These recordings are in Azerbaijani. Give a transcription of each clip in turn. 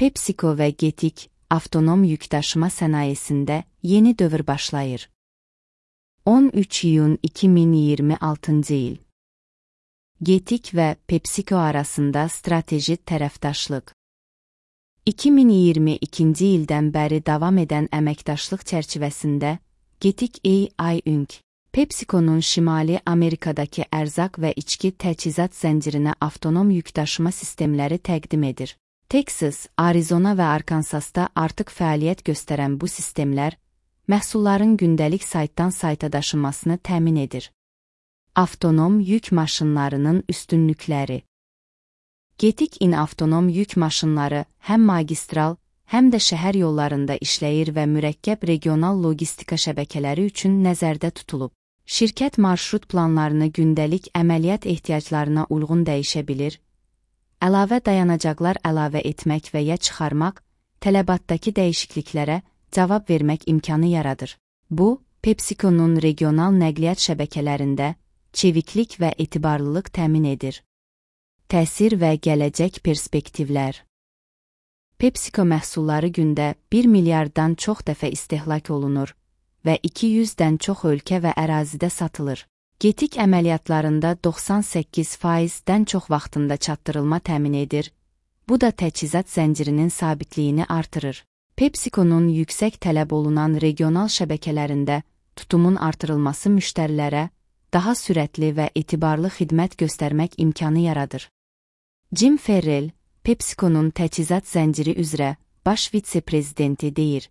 PepsiCo və Getik avtonom yükdaşıma sənayesində yeni dövr başlayır. 13 iyun 2026 il. Getik və PepsiCo arasında strateji tərəfdaşlıq. 2022 ildən bəri davam edən əməkdaşlıq çərçivəsində Getik AI Inc. PepsiCo'nun Şimali Amerikadakı ərzaq və içki təchizat zəncirinə avtonom yükdaşıma sistemləri təqdim edir. Texas, Arizona və Arkansasda artıq fəaliyyət göstərən bu sistemlər, məhsulların gündəlik saytdan sayta daşınmasını təmin edir. Avtonom yük maşınlarının üstünlükləri. Getik-in avtonom yük maşınları həm magistral, həm də şəhər yollarında işləyir və mürəkkəb regional logistika şəbəkələri üçün nəzərdə tutulub. Şirkət marşrut planlarını gündəlik əməliyyat ehtiyaclarına uyğun dəyişə bilir, əlavə dayanacaqlar əlavə etmək və ya çıxarmaq, tələbatdakı dəyişikliklərə cavab vermək imkanı yaradır. Bu, PepsiCo'nun regional nəqliyyat şəbəkələrində çeviklik və etibarlılıq təmin edir. Təsir və gələcək perspektivlər. PepsiCo məhsulları gündə 1 milyarddan çox dəfə istehlak olunur və 200-dən çox ölkə və ərazidə satılır. Getik əməliyyatlarında 98%-dən çox vaxtında çatdırılma təmin edir. Bu da təchizat zəncirinin sabitliyini artırır. PepsiCo'nun yüksək tələb olunan regional şəbəkələrində tutumun artırılması müştərilərə daha sürətli və etibarlı xidmət göstərmək imkanı yaradır. Jim Farrell, PepsiCo'nun təchizat zənciri üzrə baş vitse-prezidenti deyir: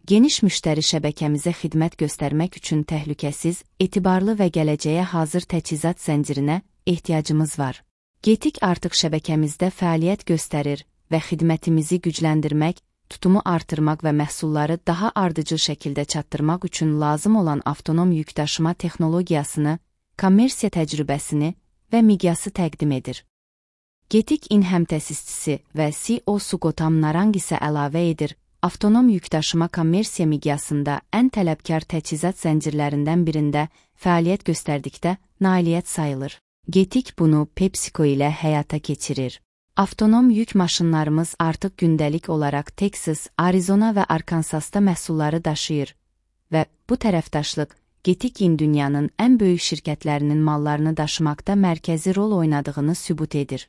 "Geniş müştəri şəbəkəmizə xidmət göstərmək üçün təhlükəsiz, etibarlı və gələcəyə hazır təchizat zəncirinə ehtiyacımız var. Getik artıq şəbəkəmizdə fəaliyyət göstərir və xidmətimizi gücləndirmək, tutumu artırmaq və məhsulları daha ardıcıl şəkildə çatdırmaq üçün lazım olan avtonom yükdaşıma texnologiyasını, kommersiya təcrübəsini və miqyası təqdim edir." Getik-in həmtəsisçisi və CEO-su Gautam Narang isə əlavə edir: "Avtonom yükdaşıma kommersiya miqyasında ən tələbkar təchizat zəncirlərindən birində fəaliyyət göstərdikdə nailiyyət sayılır." Getik bunu PepsiCo ilə həyata keçirir. Avtonom yük maşınlarımız artıq gündəlik olaraq Texas, Arizona və Arkansasda məhsulları daşıyır və bu tərəfdaşlıq Getik-in dünyanın ən böyük şirkətlərinin mallarını daşımaqda mərkəzi rol oynadığını sübut edir.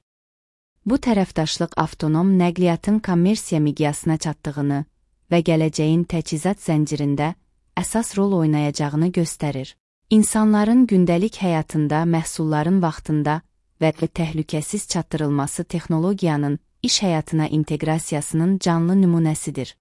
Bu tərəfdaşlıq avtonom nəqliyyatın kommersiya miqyasına çatdığını və gələcəyin təchizat zəncirində əsas rol oynayacağını göstərir. İnsanların gündəlik həyatında məhsulların vaxtında və təhlükəsiz çatdırılması texnologiyanın iş həyatına inteqrasiyasının canlı nümunəsidir.